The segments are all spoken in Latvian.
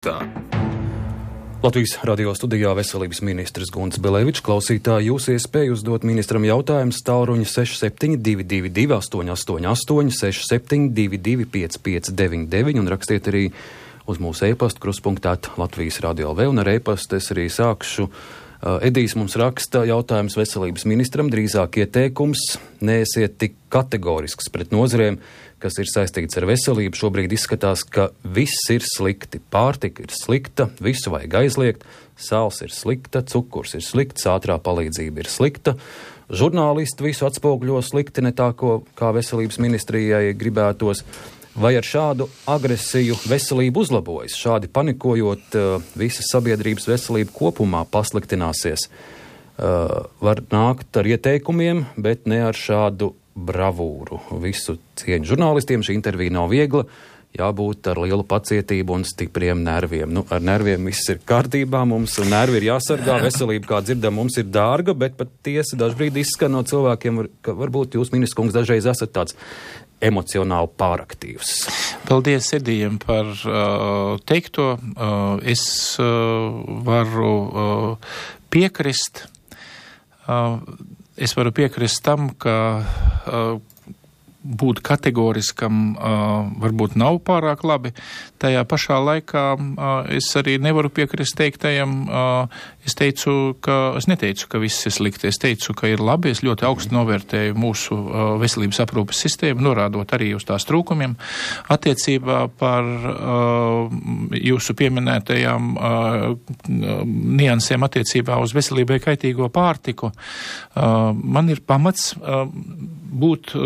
Tā. Latvijas radio studijā veselības ministrs Gunts Belevičs. Klausītāji, jūs iespēju uzdot ministram jautājumus tālruņa 6722 888 6722 559 un rakstiet arī uz mūsu e-pastu kruspunktāt Latvijas radio LV, un ar e-pastu es arī sākšu. Edijs mums raksta jautājums veselības ministram, drīzāk ieteikums, neesiet tik kategorisks pret nozarēm, kas ir saistīts ar veselību. Šobrīd izskatās, ka viss ir slikti. Pārtika ir slikta, visu vajag aizliegt, sāls ir slikta, cukurs ir slikts, ātrā palīdzība ir slikta. Žurnālisti visu atspoguļo slikti, ne tā, kā veselības ministrijai gribētos. Vai ar šādu agresiju veselība uzlabojas? Šādi panikojot, visas sabiedrības veselība kopumā pasliktināsies. Var nākt ar ieteikumiem, bet ne ar šādu bravūru. Visu cieņu žurnālistiem, šī intervija nav viegla, jābūt ar lielu pacietību un stipriem nerviem. Ar nerviem viss ir kārtībā, mums nervi ir jāsargā, veselība, kā dzirdam, mums ir dārga, bet pat tiesa dažbrīd izskan no cilvēkiem, ka varbūt jūs, ministrs kungs, dažreiz esat tāds emocionāli pāraktīvs. Paldies Edijam par teikto. Es varu piekrist. Es varu piekrist tam, ka būt kategoriskam varbūt nav pārāk labi. Tajā pašā laikā es arī nevaru piekrist teiktajam. Es neteicu, ka viss ir slikti. Es teicu, ka ir labi. Es ļoti augstu novērtēju mūsu veselības aprūpes sistēmu, norādot arī uz tās trūkumiem. Attiecībā par jūsu pieminētajām niansēm attiecībā uz veselībai kaitīgo pārtiku, man ir pamats būt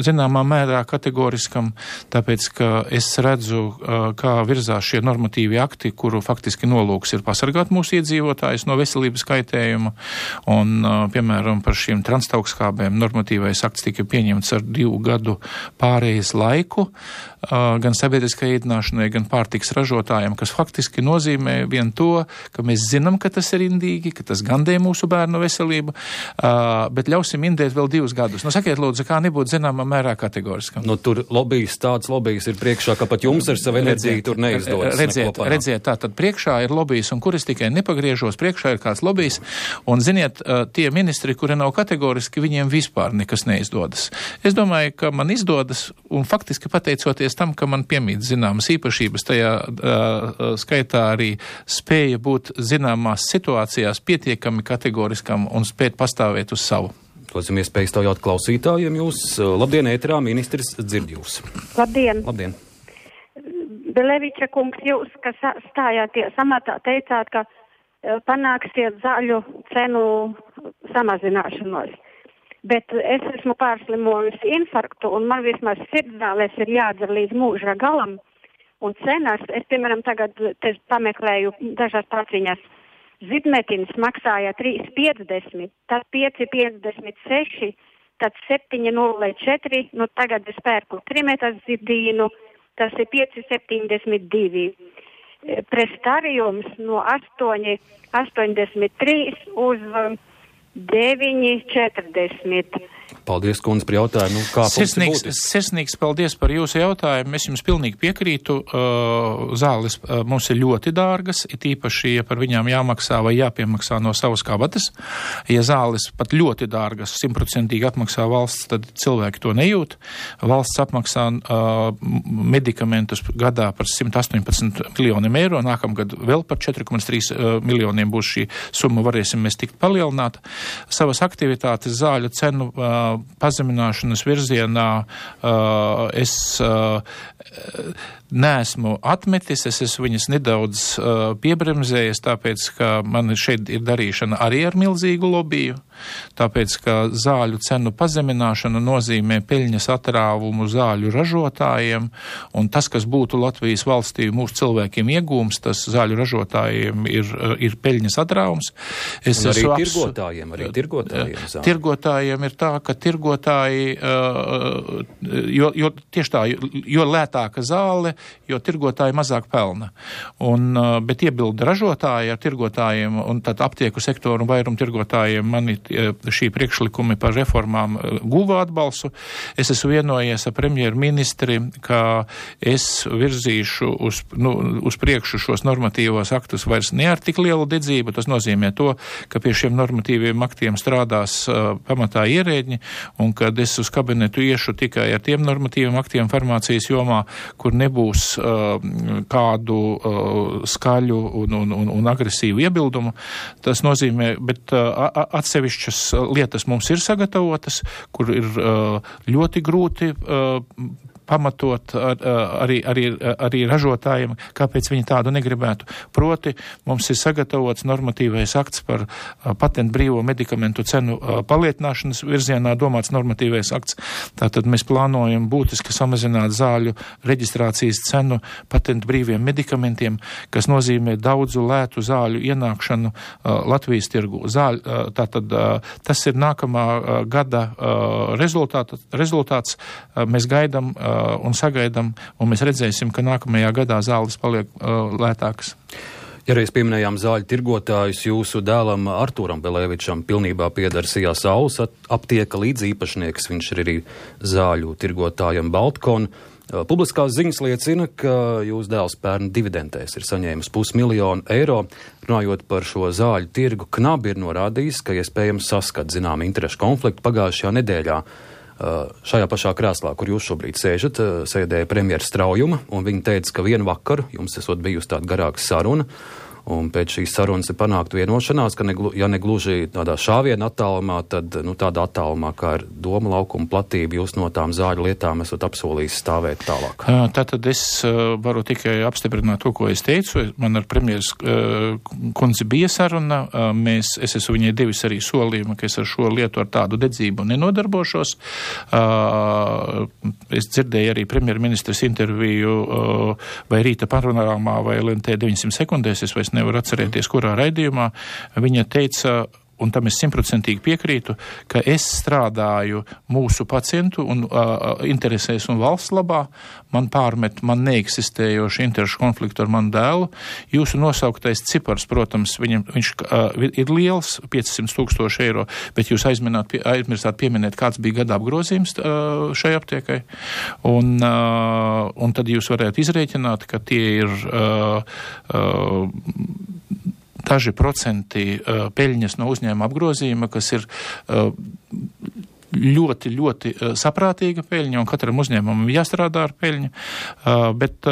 zināmā mērā kategoriskam, tāpēc, ka es redzu, kā virzās šie normatīvi akti, kuru faktiski nolūks ir pasargāt mūsu iedzīvotājus no veselības kaitējuma, un, piemēram, par šīm transtaugskābēm normatīvais akts tika pieņemts ar 2 gadu pārejas laiku, gan sabiedriskai ēdināšanai, gan pārtiks ražotājiem, kas faktiski nozīmē vien to, ka mēs zinām, ka tas ir indīgi, ka tas gandē mūsu bērnu veselību, bet ļausim indēt vēl 2 gadus. Sakiet, lūdzu, kā nebūt zināmā mērā kategoriskam. Tur tāds lobijs ir priekšā, ka pat jums ar savu enerģiju tur neizdodas. Redziet, tā tad priekšā ir lobijs, un kur es tikai nepagriežos, priekšā ir kāds lobijs, un ziniet, tie ministri, kuri nav kategoriski, viņiem vispār nekas neizdodas. Es domāju, ka man izdodas, un faktiski pateicoties tam, ka man piemīt zināmas īpašības, tajā skaitā arī spēja būt zināmās situācijās pietiekami kategoriskam un spēt pastāvēt uz savu. Dosim iespēju stāvjāt klausītājiem. Jūs, labdien, ēterā, ministrs dzird jūs. Labdien. Labdien. Beleviča kungs, jūs, kas stājāties amatā, teicāt, ka panāksiet zāļu cenu samazināšanos. Bet es esmu pārslimojusi infarktu, un man vismaz sirdzālēs ir jādzer līdz mūža galam. Un cenas, es, piemēram, tagad pameklēju dažās paciņas. Zibmetins maksāja 3,50, tad 5,56, tad 7,04, tagad es pērku trimetazidīnu, tas ir 5,72. Prestariums no 8,83 uz 9,40. Paldies, kundze, par jautājumu. Sirsnīgs paldies par jūsu jautājumu. Es jums pilnīgi piekrītu. Zāles mums ir ļoti dārgas, it īpaši, ja par viņām jāmaksā vai jāpiemaksā no savas kabatas. Ja zāles pat ļoti dārgas, 100% atmaksā valsts, tad cilvēki to nejūt. Valsts apmaksā medikamentus gadā par 118 miljoniem eiro. Nākamgad vēl par 4,3 miljoniem būs šī summa, varēsim mēs tikt palielināt. Savas aktivitātes zāļu cenu pazemināšanas virzienā es neesmu atmetis, es esmu viņas nedaudz piebremzējis, tāpēc, ka man šeit ir darīšana arī ar milzīgu lobiju, tāpēc, ka zāļu cenu pazemināšana nozīmē peļņas atrāvumu zāļu ražotājiem, un tas, kas būtu Latvijas valstī mūsu cilvēkiem iegūms, tas zāļu ražotājiem ir peļņas atrāvums. Arī tirgotājiem. Tirgotājiem ir tā, ka tirgotāji, jo tieši tā, jo lētāka zāle, jo tirgotāji mazāk pelna. Bet iebilda ražotāji ar tirgotājiem un tad aptieku sektoru un vairumu tirgotājiem mani šī priekšlikumi par reformām guva atbalstu. Es esmu vienojies ar premjerministri, ka es virzīšu uz priekšu šos normatīvos aktus vairs ne ar tik lielu dedzību. Tas nozīmē to, ka pie šiem normatīviem aktiem strādās pamatā ierēģi, un kad es uz kabinetu iešu tikai ar tiem normatīviem aktiem farmācijas jomā, kur nebūs kādu skaļu un agresīvu iebildumu. Tas nozīmē, bet atsevišķas lietas mums ir sagatavotas, kur ir ļoti grūti pamatot arī ražotājiem, kāpēc viņi tādu negribētu. Proti, mums ir sagatavots normatīvais akts par patentu brīvo medikamentu cenu palietināšanas virzienā domāts normatīvais akts. Tātad mēs plānojam būtiski samazināt zāļu reģistrācijas cenu patentu brīviem medikamentiem, kas nozīmē daudzu lētu zāļu ienākšanu Latvijas tirgu. Tātad tas ir nākamā gada rezultāts. Mēs gaidām un sagaidām, un mēs redzēsim, ka nākamajā gadā zāles paliek lētākas. Ja reiz pieminējām zāļu tirgotājus, jūsu dēlam Artūram Belēvičam pilnībā pieder Sijā Saules aptieka līdz īpašnieks, viņš ir arī zāļu tirgotājam Baltkon. Publiskās ziņas liecina, ka jūs dēls pērn dividendēs ir saņēmis 500 000 eiro. Runājot par šo zāļu tirgu, Knabi ir norādījis, ka iespējams saskat zinām interešu konfliktu pagājušajā nedēļā. Šajā pašā krēslā, kur jūs šobrīd sēžat, sēdēja premjera Straujuma, un viņa teica, ka vienu vakaru jums esot bijusi tāda garāka saruna, un pēc šīs sarunas ir panākta vienošanās, ka ja negluži tādā šāviena attālumā, tad tādā attālumā, kā ir doma laukuma platība, jūs no tām zāļu lietām esat apsolījis stāvēt tālāk. Tātad es varu tikai apstiprināt to, ko es teicu. Man ar premjeras kundzi bija saruna. Es esmu viņai devis arī solījumu, ka es ar šo lietu ar tādu dedzību nenodarbošos. Es dzirdēju arī premjerministras interviju vai Rīta panorāmā vai LNT 900 sekundēs, es vairs nevaru atcerēties, kurā raidījumā. Viņa teica, un tam es 100% piekrītu, ka es strādāju mūsu pacientu un interesēs un valsts labā, man neeksistējoši interešu konfliktu ar manu dēlu. Jūsu nosauktais cipars, protams, viņš ir liels, 500 000 eiro, bet jūs aizmirstāt pieminēt, kāds bija gada apgrozījums šai aptiekai. Un tad jūs varētu izrēķināt, ka tie ir daži procenti peļņas no uzņēmuma apgrozījuma, kas ir ļoti, ļoti saprātīga peļņa, un katram uzņēmumam jāstrādā ar peļņu, bet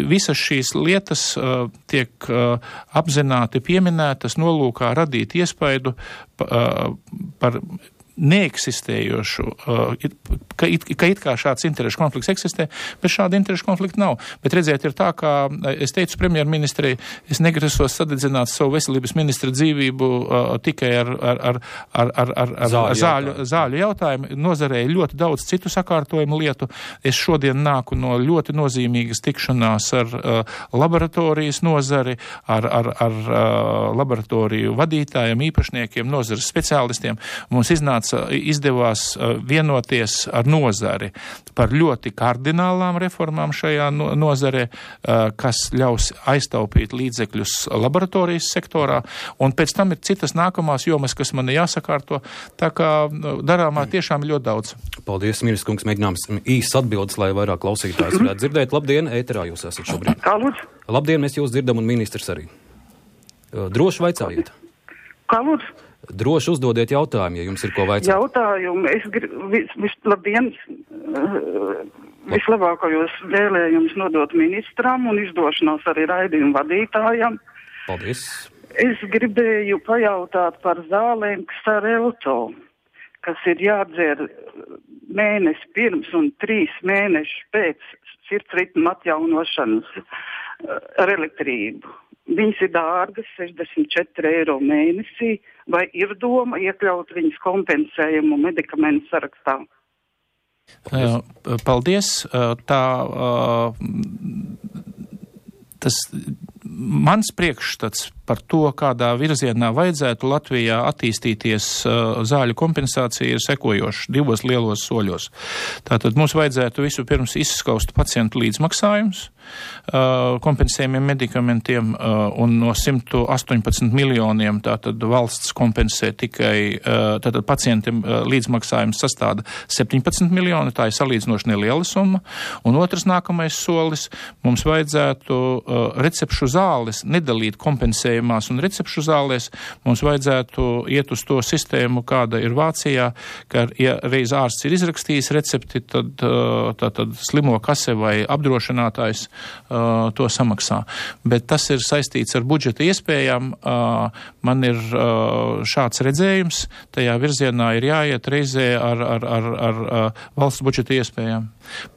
visas šīs lietas tiek apzināti pieminētas nolūkā radīt iespaidu par neeksistējošu, ka it kā šāds interešu konflikts eksistē, bet šāda interešu konflikta nav. Bet redziet, ir tā, kā es teicu premjerministrei, es negrasos sadedzināt savu veselības ministra dzīvību tikai ar zāļu jautājumu. Nozarē ir ļoti daudz citu sakārtojumu lietu. Es šodien nāku no ļoti nozīmīgas tikšanās ar laboratorijas nozari, ar laboratoriju vadītājiem, īpašniekiem, nozares speciālistiem. Mums izdevās vienoties ar nozari par ļoti kardinālām reformām šajā nozarē, kas ļaus aiztaupīt līdzekļus laboratorijas sektorā, un pēc tam ir citas nākamās jomas, kas man jāsakārto, tā kā darāmā tiešām ļoti daudz. Paldies, ministrs kungs, mēģinājums īsts atbildes, lai vairāk klausītājs varētu dzirdēt. Labdien, ēterā jūs esat šobrīd. Kā lūdzu? Labdien, mēs jūs dzirdam un ministrs arī. Droši vaicājiet. Kā lūdzu? Droši uzdodiet jautājumu, ja jums ir ko vaicāt. Jautājumu. Labdien, vislabākajos vēlējumus nodot ministram un izdošanos arī raidījumu vadītājam. Paldies. Es gribēju pajautāt par zālēm Xarelto, kas ir jādzer mēnesi pirms un 3 mēneši pēc sirdsritma atjaunošanas ar elektrību. Viņas ir dārgas, 64 eiro mēnesī, vai ir doma iekļaut viņas kompensējumu medikamentu sarakstā? Paldies. Tas mans priekšstats par to, kādā virzienā vajadzētu Latvijā attīstīties zāļu kompensācija, ir sekojošs 2 lielos soļos. Tātad mums vajadzētu vispirms izskaust pacientu līdzmaksājumus, kompensējumiem medikamentiem, un no 118 miljoniem tātad valsts kompensē tikai tātad pacientiem līdzmaksājums sastāda 17 miljoni, tā ir salīdzinoši neliela summa. Un otrs nākamais solis, mums vajadzētu recepšu zāles nedalīt kompensējumās un recepšu zālēs, mums vajadzētu iet uz to sistēmu, kāda ir Vācijā, ka, ja reiz ārsts ir izrakstījis recepti, tad slimo kase vai apdrošinātājs to samaksā. Bet tas ir saistīts ar budžeta iespējām. Man ir šāds redzējums, tajā virzienā ir jāiet reizē ar valsts budžeta iespējām.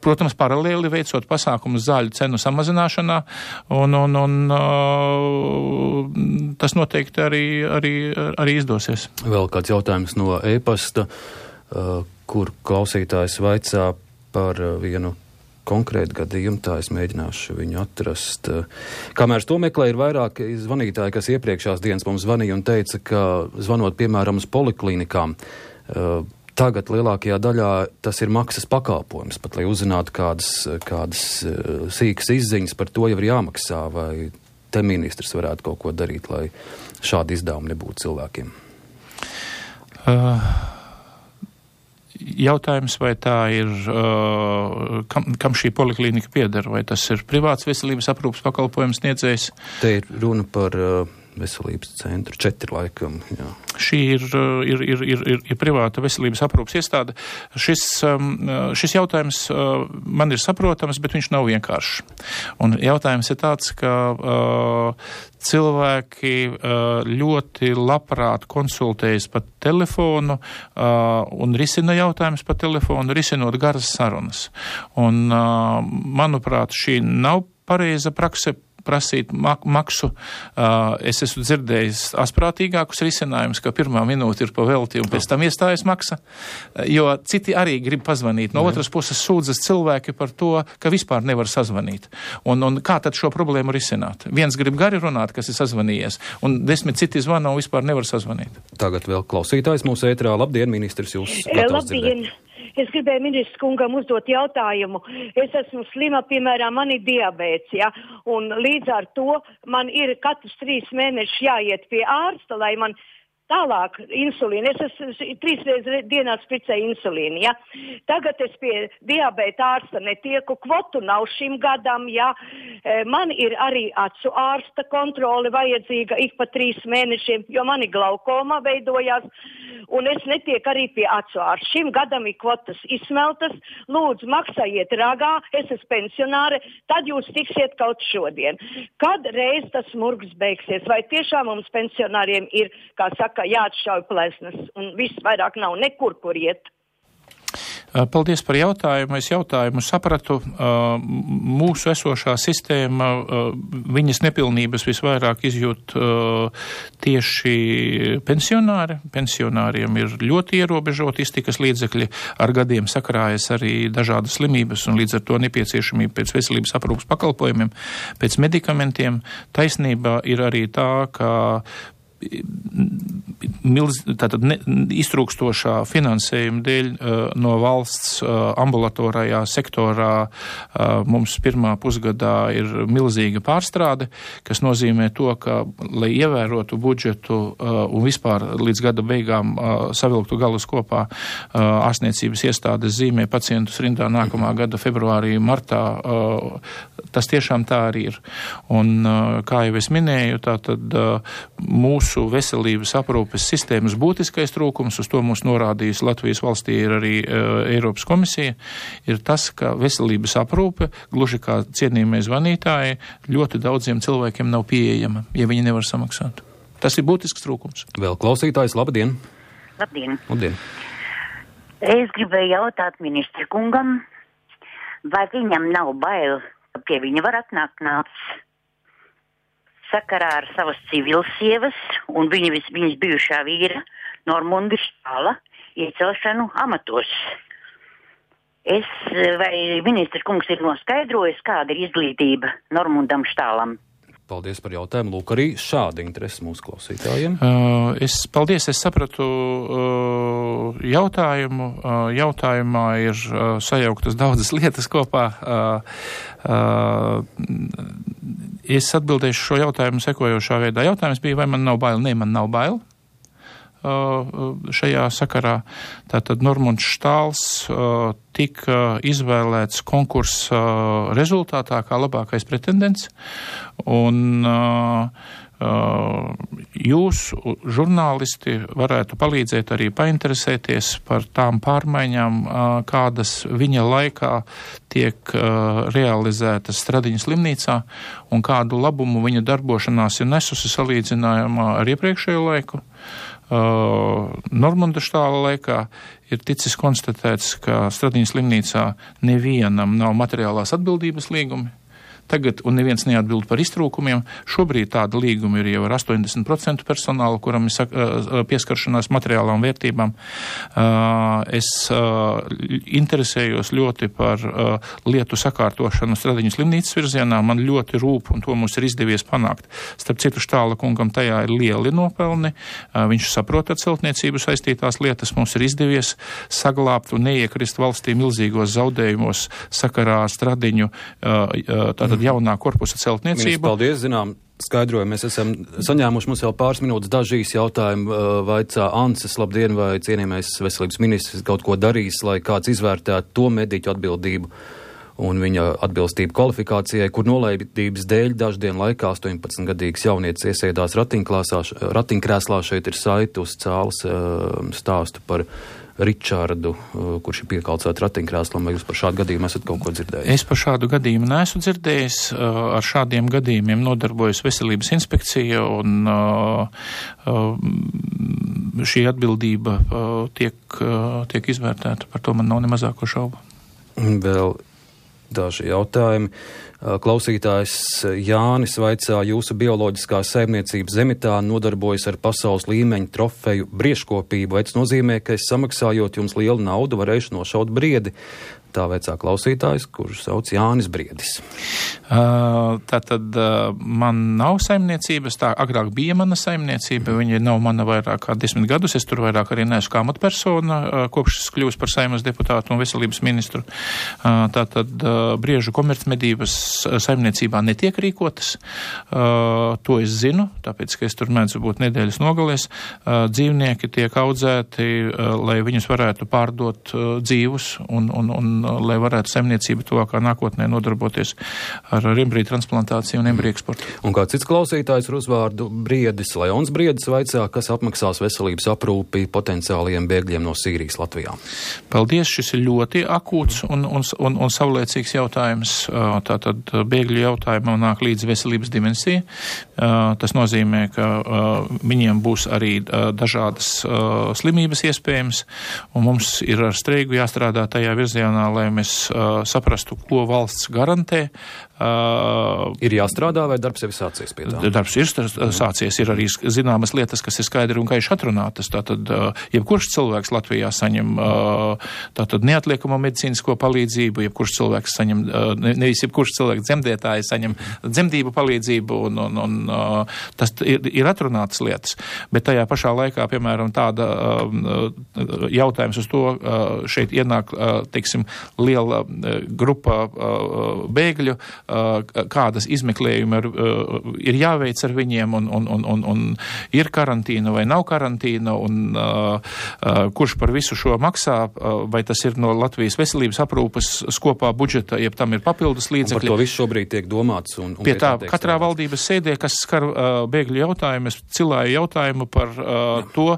Protams, paralēli veicot pasākumus zāļu cenu samazināšanā, un tas noteikti arī izdosies. Vēl kāds jautājums no e-pasta, kur klausītājs vaicā par vienu konkrētu gadījumu, tā es mēģināšu viņu atrast. Kamēr to meklē, ir vairāk zvanītāji, kas iepriekšās dienas mums zvanīja un teica, ka zvanot, piemēram, uz poliklinikām, tagad lielākajā daļā tas ir maksas pakalpojums, pat lai uzzinātu kādas sīkas izziņas par to jau ir jāmaksā, vai te ministrs varētu kaut ko darīt, lai šādi izdevumi nebūtu cilvēkiem. Jautājums, vai tā ir, kam šī poliklinika pieder, vai tas ir privāts veselības aprūpas pakalpojums sniedzējs? Te ir runa par veselības centru, 4 laikam, jā. Šī ir privāta veselības aprūpas iestāde. Šis jautājums man ir saprotams, bet viņš nav vienkāršs. Un jautājums ir tāds, ka cilvēki ļoti labprāt konsultējas pa telefonu un risina jautājumus pa telefonu, risinot garas sarunas. Un, manuprāt, šī nav pareiza prakse prasīt maksu. Es esmu dzirdējis asprātīgākus risinājumus, ka pirmā minūte ir pa velti un pēc tam iestājas maksa, jo citi arī grib pazvanīt. No otras puses sūdzas cilvēki par to, ka vispār nevar sazvanīt. Un kā tad šo problēmu risināt? Viens grib gari runāt, kas ir sazvanījies, un 10 citi zvana un vispār nevar sazvanīt. Tagad vēl klausītājs mūsu ētrā. Labdien, ministrs, jūs gatavs dzirdēt. Es gribēju ministrs kungam uzdot jautājumu. Es esmu slima, piemēram, man ir diabēts, ja, un līdz ar to man ir katrs 3 mēnešus jāiet pie ārsta, lai man tālāk insulīnu. Es 3 reizes dienā spricēju insulīnu, ja. Tagad es pie diabēta ārsta netieku, kvotu nav šim gadam, ja. Man ir arī acu ārsta kontrole vajadzīga ik pa 3 mēnešiem, jo man ir glaukoma veidojās, un es netieku arī pie acu ārsta. Šim gadam ir kvotas izsmeltas, lūdzu maksājiet ragā, es esmu pensionāre, tad jūs tiksiet kaut šodien. Kad reiz tas murgs beigsies, vai tiešām mums pensionāriem ir, kā saka, jāatšauj plesnes, un viss vairāk nav nekur, kur iet. Paldies par jautājumu. Es jautājumu sapratu. Mūsu esošā sistēma, viņas nepilnības visvairāk izjūt tieši pensionāri. Pensionāriem ir ļoti ierobežoti iztikas līdzekļi, ar gadiem sakrājas arī dažādas slimības un līdz ar to nepieciešamība pēc veselības aprūpas pakalpojumiem, pēc medikamentiem. Taisnība ir arī tā, ka iztrūkstošā finansējuma dēļ no valsts ambulatorajā sektorā mums pirmā pusgadā ir milzīga pārstrāde, kas nozīmē to, ka, lai ievērotu budžetu un vispār līdz gada beigām savilktu galus kopā, ārstniecības iestādes zīmē pacientus rindā nākamā gada februārī, martā. Tas tiešām tā arī ir. Un, kā jau es minēju, tātad mūsu veselības aprūpes sistēmas būtiskais trūkums, uz to mums norādījis Latvijas valstī ir arī Eiropas komisija, ir tas, ka veselības aprūpe, gluži kā cienījamie zvanītāji, ļoti daudziem cilvēkiem nav pieejama, ja viņi nevar samaksāt. Tas ir būtisks trūkums. Vēl klausītājs, labdien! Labdien! Labdien! Es gribēju jautāt ministra kungam, vai viņam nav bail, ka pie viņa var atnākt nācis sakarā ar savas civilsievas un viņas bijušā vīra Normunda Štāla iecelšanu amatos. Vai ministrs kungs ir noskaidrojis, kāda ir izglītība Normundam Štālam? Paldies par jautājumu. Lūk, arī šāda interese mūsu klausītājiem. Es sapratu jautājumu. Jautājumā ir sajauktas daudzas lietas kopā. Es atbildēšu šo jautājumu sekojošā veidā. Jautājums bija, vai man nav bail? Nē, man nav bail. Šajā sakarā tātad Normunds Štāls tika izvēlēts konkursa rezultātā kā labākais pretendents, un jūs, žurnālisti, varētu palīdzēt arī painteresēties par tām pārmaiņām, kādas viņa laikā tiek realizētas Stradiņas slimnīcā, un kādu labumu viņa darbošanās ir nesusi salīdzinājumā ar iepriekšējo laiku. Normunda Štāla laikā ir ticis konstatēts, ka Stradiņas slimnīcā nevienam nav materiālās atbildības līgumi. Tagad, un neviens neatbild par iztrūkumiem, šobrīd tāda līguma ir jau ar 80% personāla, kuram ir pieskaršanās materiālām vērtībām. Es interesējos ļoti par lietu sakārtošanu Stradiņas slimnīcas virzienā. Man ļoti rūp, un to mums ir izdevies panākt. Starp citu, Štāla kungam tajā ir lieli nopelni. Viņš saprot ar celtniecību saistītās lietas. Mums ir izdevies saglābt un neiekrist valstī milzīgos zaudējumos sakarā ar Stradiņu, tātad jaunā korpusa celtniecību. Ministrs, paldies, zinām, skaidrojumu. Mēs esam saņēmuši mums jau pāris minūtes dažīs jautājumu. Vaicā Anses, labdien, vai cienījamais veselības ministrs kaut ko darīs, lai kāds izvērtētu to mediķu atbildību un viņa atbilstību kvalifikācijai, kur nolaidības dēļ daždienu laikā 18-gadīgs jaunietis iesēdās ratiņkrēslā. Šeit ir saiti uz cāles stāstu par Ričārdu, kurš ir piekalcēts ratiņkrēslam. Vai jūs par šādu gadījumu esat kaut ko dzirdējis? Es par šādu gadījumu neesmu dzirdējis. Ar šādiem gadījumiem nodarbojas veselības inspekcija, un šī atbildība tiek izvērtēta. Par to man nav ne mazāko šaubu. Vēl daži jautājumi. Klausītājs Jānis vaicā, jūsu bioloģiskā saimniecība Zemitā nodarbojas ar pasaules līmeņa trofeju briežkopību. Vai tas nozīmē, ka es samaksājot jums lielu naudu varēšu nošaut briedi? Tā veicā klausītājs, kurš sauc Jānis Briedis. Tātad man nav saimniecības, tā agrāk bija mana saimniecība, viņa nav mana vairāk kā 10 gadus, es tur vairāk arī neesmu kā amatpersona, kopš es kļūstu par Saeimas deputātu un veselības ministru. Tātad briežu komercmedības saimniecībā netiek rīkotas, to es zinu, tāpēc, ka es tur mēdzu būt nedēļas nogalēs. Dzīvnieki tiek audzēti, lai viņus varētu pārdot dzīvus un lai varētu saimniecība tuvākā nākotnē nodarboties ar embriju transplantāciju un embriju eksportu. Un kā cits klausītājs ar uzvārdu Briedis, Leons Briedis vaicā, kas apmaksās veselības aprūpi potenciālajiem bēgļiem no Sīrijas Latvijā? Paldies, šis ir ļoti akūts un savlaicīgs jautājums. Tātad bēgļu jautājumā nāk līdz veselības dimensija. Tas nozīmē, ka viņiem būs arī dažādas slimības iespējams, un mums ir ar streiku jāstrādā tajā virzienā, lai mēs saprastu, ko valsts garantē. Ir jāstrādā, vai darbs jau ir sācies pie tā? Darbs ir sācies, ir arī zināmas lietas, kas ir skaidri un gaiši atrunātas. Tātad, jebkurš cilvēks Latvijā saņem tātad neatliekamo medicīnisko palīdzību, jebkurš cilvēks saņem, nevis jebkurš cilvēks dzemdētāji saņem dzemdību palīdzību, un tas ir atrunātas lietas. Bet tajā pašā laikā, piemēram, tāda jautājums uz to, šeit ienāk, teiksim, liela grupa bēgļu, kādas izmeklējumi ir jāveic ar viņiem, un ir karantīna vai nav karantīna, un kurš par visu šo maksā, vai tas ir no Latvijas veselības aprūpes skopā budžeta, jeb tam ir papildus līdzekļi. Un par to visu šobrīd tiek domāts. Un pie tā katrā valdības sēdē, kas skar bēgļu jautājumu, es cilāju jautājumu par to,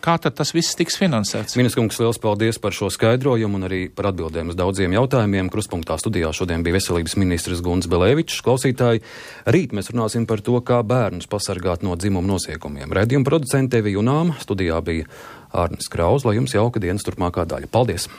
kā tad tas viss tiks finansēts? Ministrs kungs, liels paldies par šo skaidrojumu un arī par atbildēm uz daudziem jautājumiem. Kruspunktā studijā šodien bija veselības ministrs Gunts Belevičs. Klausītāji, rīt mēs runāsim par to, kā bērnus pasargāt no dzimuma noziegumiem. Raidījuma producente Evi Junāma, studijā bija Ārnis Krauz, lai jums jauka dienas turpmākā daļa. Paldies!